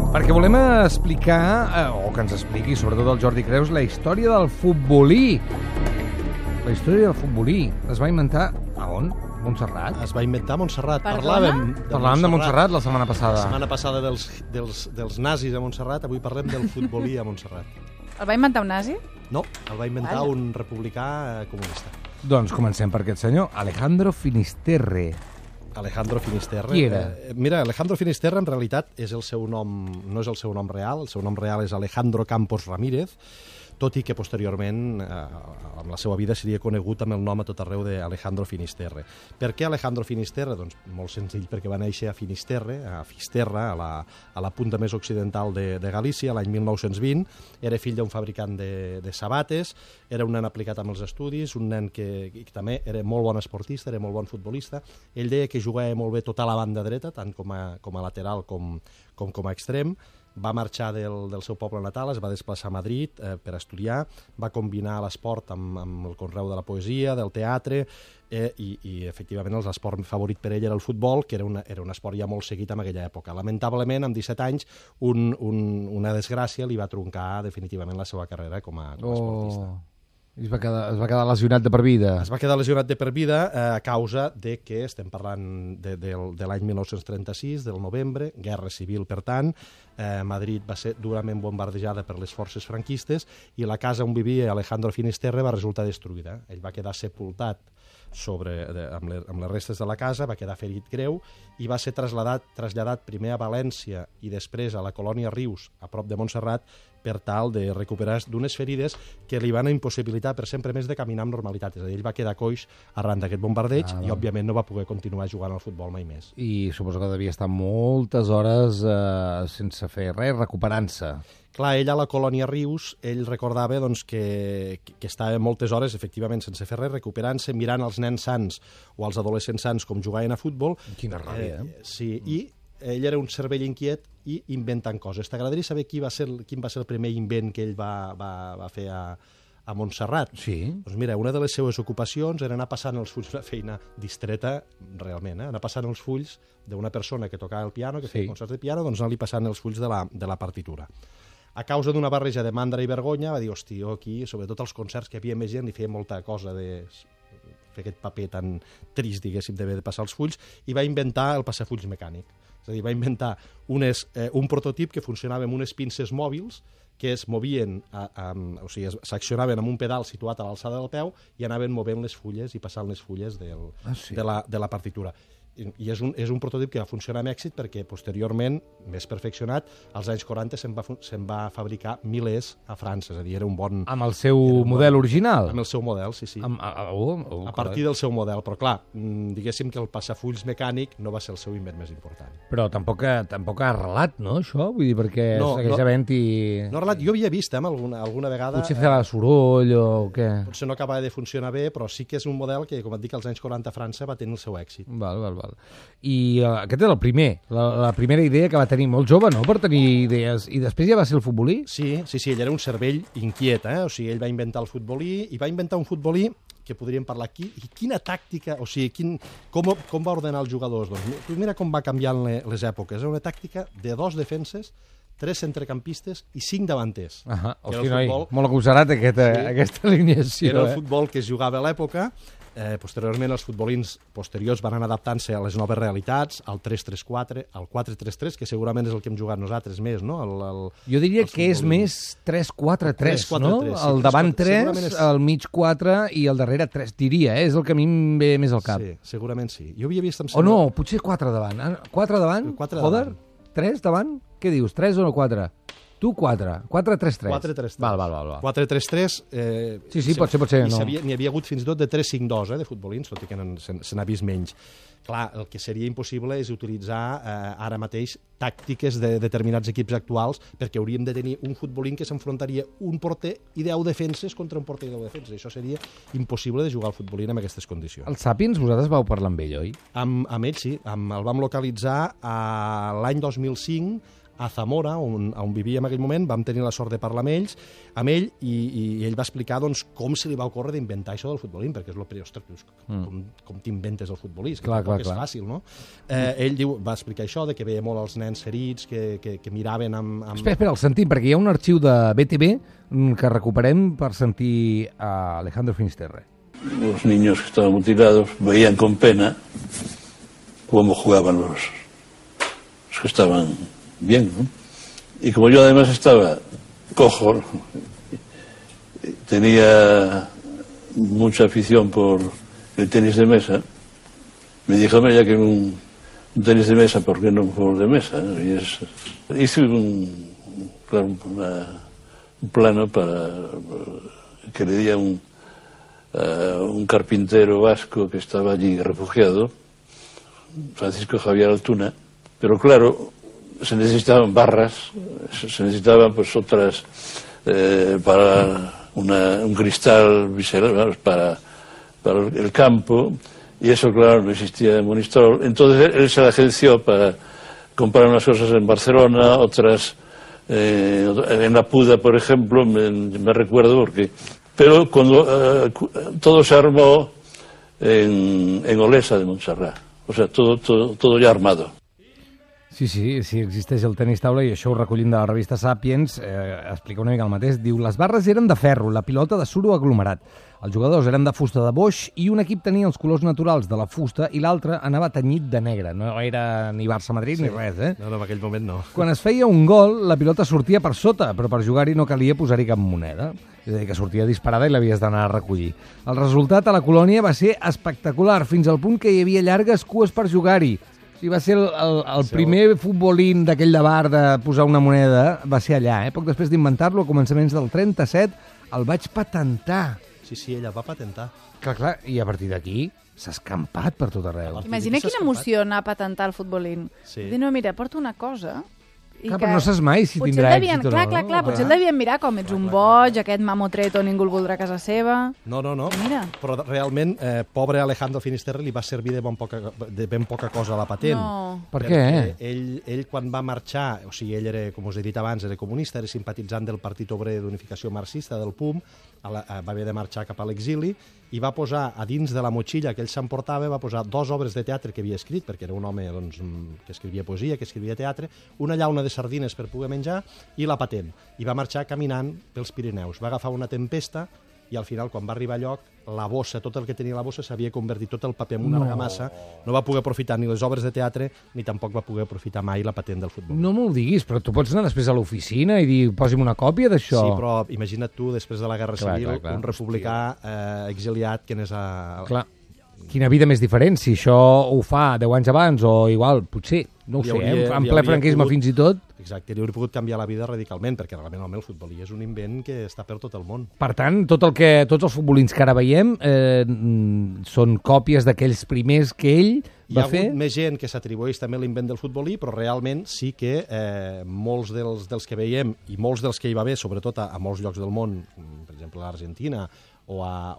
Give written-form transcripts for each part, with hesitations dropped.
Perquè volem explicar, o que ens expliqui, sobretot el Jordi Creus, la història del futbolí. La història del futbolí es va inventar a on? Montserrat? Es va inventar a Montserrat. Parlàvem de Montserrat la setmana passada. La setmana passada dels nazis a Montserrat, avui parlem del futbolí a Montserrat. El va inventar un nazi? No, el va inventar un republicà comunista. Doncs comencem per aquest senyor, Alejandro Finisterre. Alejandro Finisterre. Qui era? Mira, Alejandro Finisterre en realitat és el seu nom, no és el seu nom real, el seu nom real és Alejandro Campos Ramírez, tot i que posteriorment amb la seva vida seria conegut amb el nom a tot arreu d'Alejandro Finisterre. Per què Alejandro Finisterre? Doncs molt senzill, perquè va néixer a Finisterre, a Fisterra, a la punta més occidental de Galícia, l'any 1920. Era fill d'un fabricant de sabates, era un nen aplicat amb els estudis, un nen que també era molt bon esportista, era molt bon futbolista. Ell deia que jugava molt bé tota la banda dreta, tant com a lateral com a extrem. Va marxar del seu poble natal, es va desplaçar a Madrid per estudiar, va combinar l'esport amb el conreu de la poesia, del teatre, i efectivament l'esport favorit per ell era el futbol, que era un esport ja molt seguit en aquella època. Lamentablement, amb 17 anys, una desgràcia li va truncar definitivament la seva carrera com a esportista. I es va quedar lesionat de per vida. Es va quedar lesionat de per vida a causa de que estem parlant de l'any 1936, del novembre, guerra civil, per tant. Madrid va ser durament bombardejada per les forces franquistes i la casa on vivia Alejandro Finisterre va resultar destruïda. Ell va quedar sepultat amb les restes de la casa, va quedar ferit greu i va ser traslladat primer a València i després a la colònia Rius, a prop de Montserrat, per tal de recuperar d'unes ferides que li van impossibilitar per sempre més de caminar amb normalitat. És a dir, ell va quedar coix arran d'aquest bombardeig i, òbviament, no va poder continuar jugant al futbol mai més. I suposo que devia estar moltes hores sense fer res, recuperant-se. Clar, ell a la colònia Rius, ell recordava doncs, que estava moltes hores, efectivament, sense fer res, recuperant-se, mirant els nens sants o els adolescents sants com jugaven a futbol. Quina ràbia, Sí, i ell era un cervell inquiet i inventant coses. T'agradaria saber quin va ser el primer invent que ell va fer a Montserrat? Sí. Doncs mira, una de les seues ocupacions era anar passant els fulls, una feina distreta, realment, anar passant els fulls d'una persona que tocava el piano, que feia concerts de piano, doncs anar-li passant els fulls de la partitura. A causa d'una barreja de mandra i vergonya, va dir, hosti, jo aquí, sobretot als concerts que hi havia més gent, li feia molta cosa de fer aquest paper tan trist, diguéssim, de passar els fulls, i va inventar el passafulls mecànic. És a dir, va inventar un prototip que funcionava amb unes pinces mòbils que es movien, o sigui, s'accionaven amb un pedal situat a l'alçada del peu i anaven movent les fulles i passant les fulles de la partitura. I és un prototip que va funcionar amb èxit perquè posteriorment, més perfeccionat, als anys 40 se'n va fabricar milers a França, és a dir, era un bon... Amb el seu model original? Amb el seu model, sí. A partir del seu model, però clar, diguéssim que el passafulls mecànic no va ser el seu invent més important. Però tampoc ha arrelat, no, això? Vull dir, perquè segueix havent-hi... No ha arrelat, jo havia vist alguna vegada... Potser feia soroll o què? Potser no acabava de funcionar bé, però sí que és un model que, com et dic, als anys 40 a França va tenir el seu èxit. Val. I aquest era el primer, la primera idea que va tenir molt jove, no?, per tenir idees. I després ja va ser el futbolí? Sí, ell era un cervell inquiet, O sigui, ell va inventar el futbolí, i va inventar un futbolí que podríem parlar aquí, i quina tàctica, o sigui, com va ordenar els jugadors? Doncs mira com va canviant les èpoques. Era una tàctica de 2 defenses, 3 centrecampistes i 5 davanters. Hosti, noi, molt agosarat aquesta alineació. Era el futbol que es jugava a l'època. Posteriorment, els futbolins posteriors van anar adaptant-se a les noves realitats, al 3-3-4, al 4-3-3, que segurament és el que hem jugat nosaltres més, no? Jo diria que és més 3-4-3, no? El davant 3, el mig 4 i el darrere 3, diria, és el que a mi em ve més al cap. Sí, segurament sí. Jo havia vist... O no, potser 4 davant. 4 davant? Joder, 3 davant? Què dius, 3 o no 4? Tu 4, 4-3-3. 4-3-3. Val. 4-3-3... Sí, pot ser. N'hi havia hagut fins i tot de 3-5-2, de futbolins, tot i que se n'ha vist menys. Clar, el que seria impossible és utilitzar ara mateix tàctiques de determinats equips actuals, perquè hauríem de tenir un futbolín que s'enfrontaria un porter i 10 defenses contra un porter i 10 defenses. Això seria impossible de jugar al futbolín en aquestes condicions. El Sapiens, vosaltres vau parlar amb ell, oi? Amb ell, sí. El vam localitzar l'any 2005 a Zamora, on vivia en aquell moment, vam tenir la sort de parlar amb ell i ell va explicar doncs, com se li va ocórrer d'inventar això del futbolín, perquè és el primer, ostres, com t'inventes el futbolí? Que tampoc és fàcil, no? Ell va explicar això, de que veia molt els nens ferits, que miraven amb... Espera, el sentim, perquè hi ha un arxiu de BTV que recuperem per sentir a Alejandro Finisterre. Los niños que estaban mutilados veían con pena cómo jugaban los que estaban bien, ¿no? Y como yo además estaba cojo, tenía mucha afición por el tenis de mesa, me dijo, ya que un tenis de mesa, ¿por qué no un juego de mesa? Y hice un plano para que le diera un carpintero vasco que estaba allí refugiado, Francisco Javier Altuna, pero claro, se necesitaban barras, se necesitaban pues otras para un cristal visceral para el campo, y eso claro no existía en Monistrol. Entonces él se la agenció para comprar unas cosas en Barcelona, otras en la Puda, por ejemplo, me recuerdo porque... Pero cuando todo se armó en Olesa de Montserrat, o sea, todo ya armado. Sí, existeix el tenis taula i això ho recollim de la revista Sapiens, explica una mica el mateix. Diu, les barres eren de ferro, la pilota de suro aglomerat. Els jugadors eren de fusta de boix i un equip tenia els colors naturals de la fusta i l'altre anava tenyit de negre. No era ni Barça-Madrid ni res, eh? No, en aquell moment no. Quan es feia un gol, la pilota sortia per sota, però per jugar-hi no calia posar-hi cap moneda. És a dir, que sortia disparada i l'havies d'anar a recollir. El resultat a la colònia va ser espectacular, fins al punt que hi havia llargues cues per jugar-hi. Sí, va ser el primer futbolín d'aquell de bar de posar una moneda, va ser allà, eh? Poc després d'inventar-lo, a començaments del 37, el vaig patentar. Sí, ella va patentar. Clar, i a partir d'aquí s'ha escampat per tot arreu. Imagina quina emoció anar a patentar el futbolín. Sí. Dir, no, mira, porto una cosa... Clar, però no saps mai si tindrà èxit o no. Clar, potser el devien mirar com ets un boig, aquest mamotreto ningú el voldrà a casa seva... No, mira. Però realment, pobre Alejandro Finisterre li va servir de ben poca cosa a la patent. No. Per què? Ell quan va marxar, o sigui, ell era, com us he dit abans, era comunista, era simpatitzant del Partit Obrer d'Unificació Marxista, del PUM, va haver de marxar cap a l'exili, i va posar a dins de la motxilla que ell s'emportava, va posar 2 obres de teatre que havia escrit, perquè era un home doncs, que escrivia poesia, que escrivia teatre, una llauna de sardines per poder menjar i la patent. I va marxar caminant pels Pirineus. Va agafar una tempesta i al final, quan va arribar a lloc, la bossa, tot el que tenia la bossa s'havia convertit tot el paper en una argamassa. No va poder aprofitar ni les obres de teatre ni tampoc va poder aprofitar mai la patent del futbol. No m'ho diguis, però tu pots anar després a l'oficina i dir, posi'm una còpia d'això. Sí, però imagina't tu, després de la Guerra Civil, un republicà exiliat que anés a... Clar, quina vida més diferent, si això ho fa 10 anys abans o igual, potser, no ho sé, en ple franquisme fins i tot. Exacte, li hauria pogut canviar la vida radicalment, perquè realment el futbolí és un invent que està per tot el món. Per tant, tots els futbolins que ara veiem són còpies d'aquells primers que ell va fer. Hi ha hagut més gent que s'atribueix també l'invent del futbolí, però realment sí que molts dels que veiem, i molts dels que hi va haver, sobretot a molts llocs del món, per exemple a l'Argentina, o a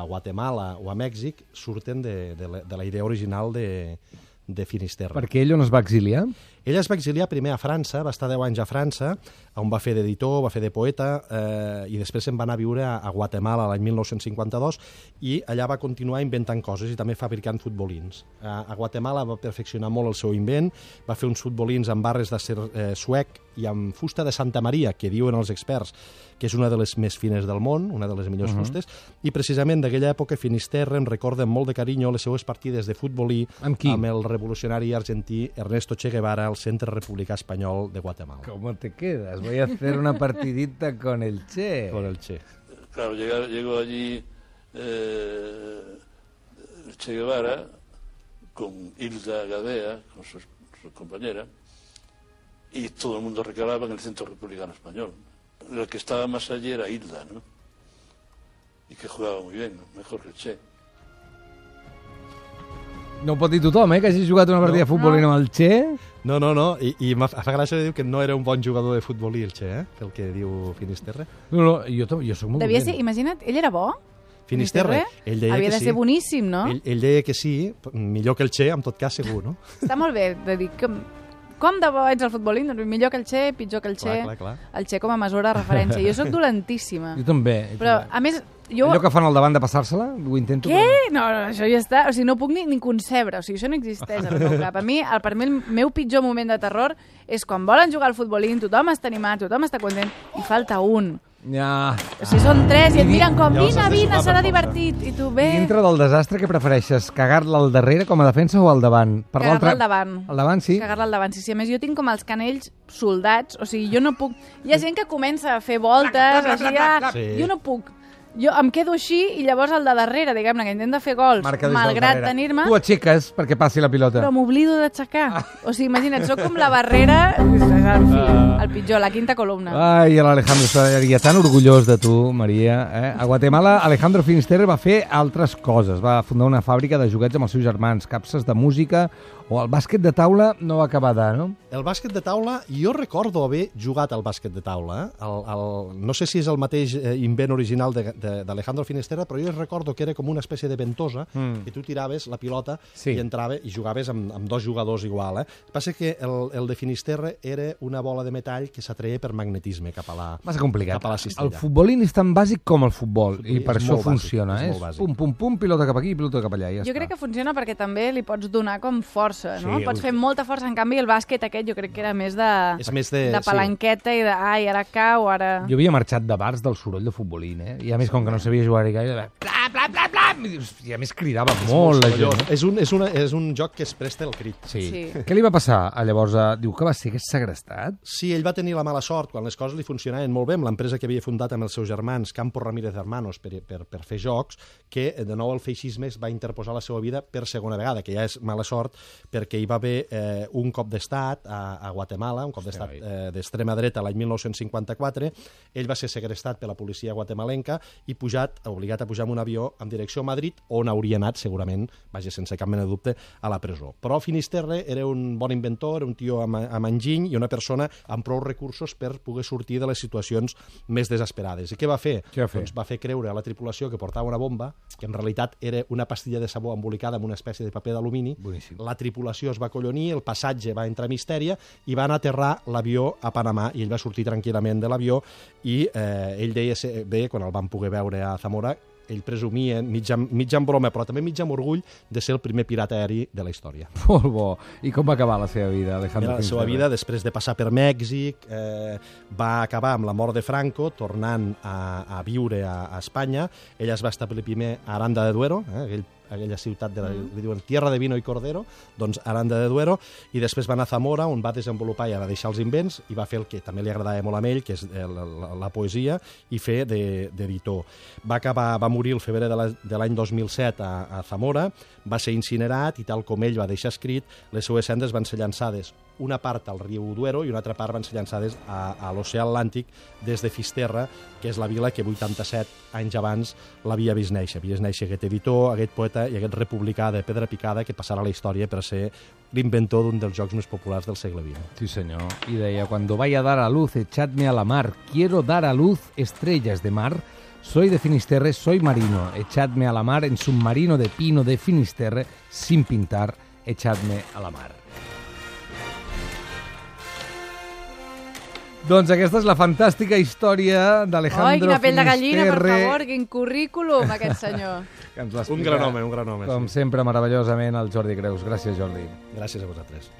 Guatemala o a Mèxic, surten de la idea original de Finisterre. Perquè ell on es va exiliar? Ell es va exiliar primer a França, va estar 10 anys a França, on va fer d'editor, va fer de poeta, i després se'n va anar a viure a Guatemala l'any 1952, i allà va continuar inventant coses i també fabricant futbolins. A Guatemala va perfeccionar molt el seu invent, va fer uns futbolins amb barres d'acer suec i amb fusta de Santa Maria, que diuen els experts que és una de les més fines del món, una de les millors fustes, i precisament d'aquella època Finisterre em recorda amb molt de carinyo les seues partides de futbolí amb el revolucionari argentí Ernesto Che Guevara al Centre Republicà Espanyol de Guatemala. ¿Cómo te quedas? Voy a hacer una partidita con el Che. Con el Che. Claro, llegó allí Che Guevara con Hilda Gadea, con su compañera, y todo el mundo recalaba en el Centro Republicano Español. El que estaba más allí era Hilda, ¿no? Y que jugava muy bien, mejor que el Che. No ho pot dir tothom, que hagi jugat una partida de futbol amb el Che. No, i fa gràcia de dir que no era un bon jugador de futbolí el Che, pel que diu Finisterre. No, jo soc molt Devia ser, imagina't, ell era bo? Finisterre? Ell deia havia que de ser boníssim, no? Ell deia que sí, millor que el Che, en tot cas segur, no? Està molt bé de dir que... com de bo ets al futbolín? Doncs millor que el Che, pitjor que el Che. Clar. El Che com a mesura de referència. Jo sóc dolentíssima. Jo també. Però, a més, jo... Allò que fan al davant de passar-se-la, ho intento... Què? No, això ja està. O sigui, no puc ni concebre. O sigui, això no existeix al meu cap. Per mi, el meu pitjor moment de terror és quan volen jugar al futbolín, tothom està animat, tothom està content, i falta un. Ja. O sigui, són tres i et miren com, Llavors has de vine, sumar serà per divertit. I tu, bé... Dintre del desastre, què prefereixes? Cagar-la al darrere com a defensa o al davant? Cagar-la al davant. Al davant, sí? Cagar-la al davant, sí. A més, jo tinc com els canells soldats, o sigui, jo no puc... Hi ha gent que comença a fer voltes, així, Sí. jo no puc. Jo em quedo així i llavors el de darrere, diguem-ne, que intenta fer gols, Marca des del malgrat darrere. tenir-me, Tu aixeques perquè passi la pilota. però m'oblido d'aixecar. O sigui, imagina't, sóc com la barrera, en fi, el pitjor, la quinta columna. Ai, l'Alejandro estaria tan orgullós de tu, Maria. A Guatemala, Alejandro Finisterre va fer altres coses. Va fundar una fàbrica de joguets amb els seus germans, capses de música, o el bàsquet de taula no va acabar de, no? El bàsquet de taula, jo recordo haver jugat al bàsquet de taula. No sé si és el mateix invent original d'Alejandro Finisterre, però jo recordo que era com una espècie de ventosa, que tu tiraves la pilota i entrava i jugaves amb dos jugadors igual. El que passa que el de Finisterre era una bola de metall que s'atreia per magnetisme cap a la, Massa complicat. cap a la cistella. El futbolín és tan bàsic com el futbol, i per és això molt bàsic, funciona. és És molt bàsic. pum, pum, pum, pilota cap aquí, pilota cap allà. Ja Jo està. crec que funciona perquè també li pots donar com força, no? Sí, Pots fer molta força. En canvi, el bàsquet aquest jo crec que era més És més de... de palanqueta i de, ai, ara cau, ara... Jo havia marxat de bars del soroll de futbolín, I a més, com que no sabia jugar-hi gaire, bla, bla, bla, bla, i a més cridava molt la gent. És un joc que es presta el crit. Sí. Què li va passar llavors? Diu que va ser segrestat? Sí, ell va tenir la mala sort quan les coses li funcionaven molt bé amb l'empresa que havia fundat amb els seus germans, Campos Ramírez Hermanos, per fer jocs, que de nou el feixisme es va interposar a la seva vida per segona vegada, que ja és mala sort, perquè hi va haver un cop d'estat a Guatemala, un cop d'estat d'extrema dreta l'any 1954. Ell va ser segrestat per la policia guatemalenca i obligat a pujar en un avió en direcció a Madrid, on hauria anat, segurament, vaja, sense cap mena de dubte, a la presó. Però Finisterre era un bon inventor, era un tio amb enginy i una persona amb prou recursos per poder sortir de les situacions més desesperades. I què va fer? Doncs va fer creure a la tripulació que portava una bomba, que en realitat era una pastilla de sabó embolicada amb una espècie de paper d'alumini. La tripulació es va acollonir, el passatge va entrar a mistèria i van aterrar l'avió a Panamà i ell va sortir tranquil·lament de l'avió i ell deia, quan el van poder veure a Zamora, ell presumia, mig en broma, però també mig amb orgull, de ser el primer pirata aeri de la història. Molt bo. I com va acabar la seva vida, Alejandro Finisterre? La seva vida, després de passar per Mèxic, va acabar amb la mort de Franco, tornant a viure a Espanya. Ell es va establir primer a Aranda de Duero, aquella ciutat li diuen Tierra de Vino i Cordero, doncs Aranda de Duero, i després va anar a Zamora, on va desenvolupar i va deixar els invents, i va fer el que també li agradava molt a ell, que és la poesia, i fer d'editor. Va morir el febrer de l'any 2007 a Zamora, va ser incinerat, i tal com ell va deixar escrit, les seues cendres van ser llançades una part al riu Duero i una altra part van ser llançades a l'oceà Atlàntic des de Fisterra, que és la vila que 87 anys abans l'havia vist néixer. Havia vist néixer aquest editor, aquest poeta i aquest republicà de pedra picada que passarà a la història per ser l'inventor d'un dels jocs més populars del segle XX. Sí, senyor. I deia, cuando vaya a dar a luz, echadme a la mar. Quiero dar a luz estrellas de mar. Soy de Finisterre, soy marino. Echadme a la mar en submarino de pino de Finisterre, sin pintar. Echadme a la mar. Doncs aquesta és la fantàstica història d'Alejandro Finisterre. Ai, quina pell de gallina, per favor, quin currículum, aquest senyor. Un gran home, un gran home. Com sempre, meravellosament, el Jordi Creus. Gràcies, Jordi. Gràcies a vosaltres.